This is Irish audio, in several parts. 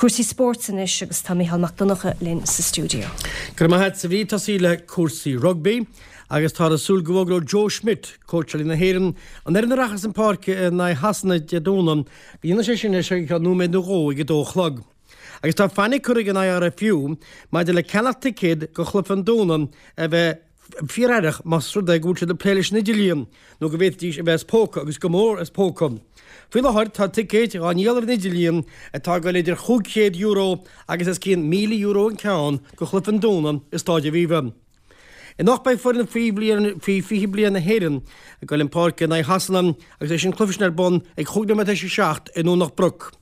Cúrsaí spóirt anois agus tá Mícheál Mac Donncha linn sa stiúideo. Go raibh maith agat a Bhríd. Tosaí le cúrsaí rugbaí agus táthar ag súil go bhfógróidh Joe Schmidt, cóitseálaí na hÉireann, an fhoireann a rachas chun páirce in aghaidh Shasana Dé Domhnaigh, go ndéanfaidh sé sin as seo go ceann nóiméad nó dhó ag a dó a chlog. Agus tá fainic curtha ag an IRFU maidir le ceannach ticéad do chluiche an Domhnaigh a bheith fíor-aireach más rud é go bhfuil siad ag plé leis an idirlíon nó go bhféadfaidís a bheith as póca agus go mór as póca. Faoi láthair tá ticéid á ndíol ar an idirlíon atá ag dul idir €500 agus os cionn €1,000 an ceann do chluiche an Domhnaigh i Stáid Aviva. Anocht beidh foireann faoi faoi 20 bliain na hÉireann ag dul chun páirce in aghaidh Shasana agus beidh an cluiche sin ar bun ag chúig nóiméad théis a 7 i nDomhnach Broc.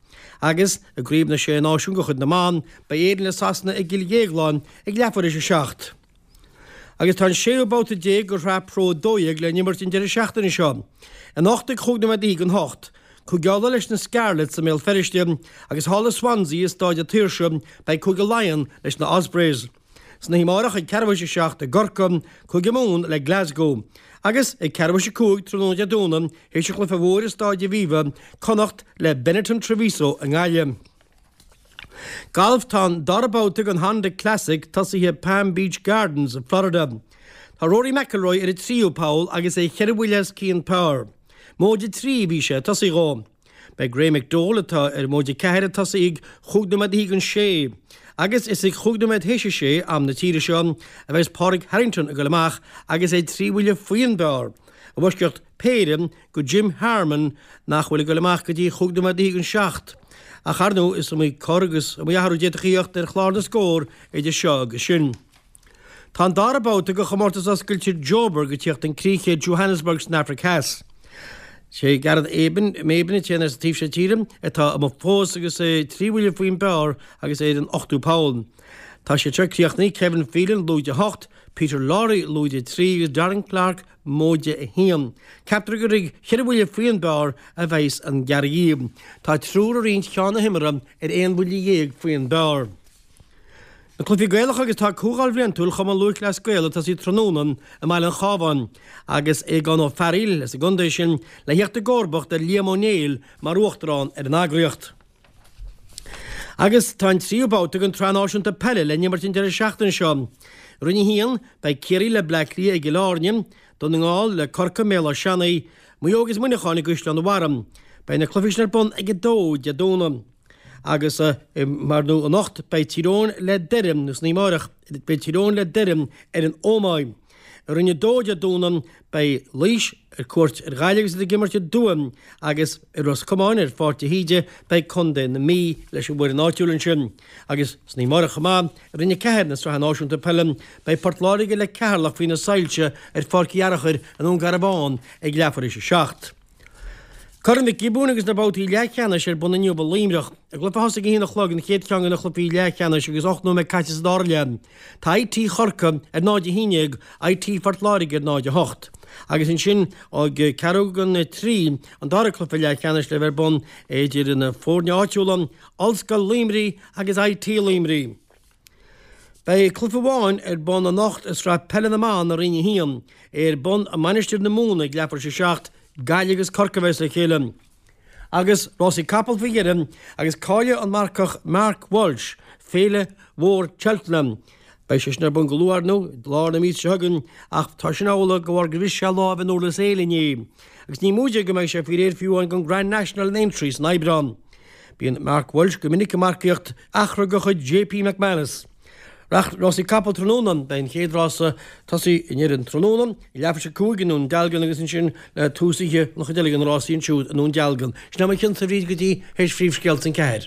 Agus i gCraobh na Sé Náisiún de chuid na mBan, beidh Éirinn le Sasana i gCill Dhéagláin ag leathuair théis a 7. Agus tá an séú babhta de Shraith Pro 12 le n-imirt an deireadh seachtaine seo. Anocht ag chúig nóiméad don hocht, Cúige Uladh leis na Scarlets i mBéal Feirste agus thall i Swansea i Stáid na Saoirse beidh Cúige Laighean leis na Ospreys. San oíche amárach ag ceathrú théis a 7 i gCorcaigh, Cúige Mumhan le Glasgow. Agus ag ceathrú théis a 5 tráthnóna Dé Domhnaigh, théis an chluiche mhóir i Stáid Aviva, Connacht le Benetton Treviso i nGaillimh. Galf Tá an dara babhta den Honda Classic tosaithe i Palm Beach Gardens i Florida. Tá Rory McIlroy ar an tríú poll agus é cheithre bhuille os cionn par. Móide 3 a bhí sé ag tosaí dhó. Beidh Graeme McDowell, atá ar móide 4, ag tosaí ag chúig nóiméad don sé. Agus is ag chúig nóiméad théis a sé, am na tíre seo, a bheas Pádraig Harrington ag dul amach agus é trí bhuille faoin bpar, i bhfoisceacht péire go Jim Harman nach bhfuil ag dul amach go dtí chúig nóiméad don seacht. Ach ar ndóigh is iomaí cor agus iomaí athrú a d'fhéadfadh a theacht ar chlár na scór idir seo agus sin. Tá an dara babhta de chomórtas oscailte Joburg ag tíocht chun críche i Johannesburg san Afraic Theas. Sé Gareth Maben, an t-aon fhear sa taobh seo tíre atá amuigh fós agus é trí bhuille faoin bpar agus é ar an ochtú poll. Tá siad seo críochnaithe, Kevin Phelan lúide 8, Peter Lawrie lúide 3 agus Darren Clarke móide 1. Ceaptar gur ag cheithre bhuille faoin bpar a bheas an gearraí. Tá triúr ag roinnt ceann na himeartha ar aon bhuille dhéag faoin bpar. Na Cluichí Gaelacha agus tá Comhdháil Bhliantúil Chumann Lúthchleas Gael ag tosaí tráthnóna i mBaile an Chabháin agus Aogán Ó Fearghaíl as an gcontae sin le theacht i gcomharbacht ar Liam Ó Néill mar Uachtarán ar an eagraíocht. Agus tá an tríú babhta den tSraith Náisiúnta Peile le n-imirt an deireadh seachtaine seo. I Roinn 1, beidh Ciarraí le Bleá Cliath i gCill Airne, Dún na nGall le Corcaigh i mBéal Átha Seanaidh, Maigh Eo agus Muineachán i gCaisleán an Bharraigh. Beidh na cluichí sin ar bun ag 2 Dé Domhnaigh. Agus mar nó anocht beidh Tír Eoghain le Doire, nó san oíche amárach, beidh Tír Eoghain le Doire ar an Ómaigh. I Roinn 2 Dé Domhnaigh beidh Laois ar cuairt ar Ghaillimh agus iad ag imirt i dTuaim agus i Ros Comáin ar Pháirc de hÍde beidh Contae na Mí leis an bhfoireann áitiúil ansin. Agus san oíche amárach chomh maith, i Roinn 4 na Sraithe Náisiúnta Peile beidh Port Láirge le Ceatharlach faoi na soilse ar Pháirc Uí Fhearachair i nDún Garbhán ag leathuair théis a 7. Corn Mhic Giobúin agus na babhtaí leathcheannais ar bun inniu i Luimneach. I gcluiche a thosaigh ag a haon a chlog, an chéad cheann de na cluichí leathcheannais agus 8 nóiméad caite sa dara leath, tá IT Chorcaí ar 0-11, IT Phort Láirge ar 0-8. Agus ansin ag ceathrú don trí, an dara cluiche leathcheannais le bheith ar bun idir na foirne áitiúla, Ollscoil Luimnigh agus IT Luimnigh. Beidh cluiche amháin ar bun anocht i Sraith Peile na mBan i Roinn 1, é ar bun i Mainistir na Mumhan ag leathuair théis a 7, Gaillimh agus Corcaigh a bheas le chéile. Agus rásaí capall faoi dheireadh agus cáileoidh an marcach Mark Walsh Féile Mhór Cheltenham. Beidh sé sin ar bun go luath ar ndóigh, i lár na míosa seo chugainn, ach tá sin amhlaidh de bharr gur bhris sé lámh in Durlas Éile inné. Agus ní móide go mbeidh sé faoi réir fiú amháin don Grand National in Aintree san Aibreán. Bíonn Mark Walsh go minic ag marcaíocht eachra de chuid JP McManus. Rásaí capall tráthnóna, beidh an chéad rása tosaí i ndeireadh an tráthnóna, ag leathuair théis a 5 i nDún Dealgan agus ansin le tús oíche an chuid eile de na rásaí ansiúd i nDún Dealgan. Sin é mo chionsa a Bhríd go dtí théis phríomhscéalta an ceathair.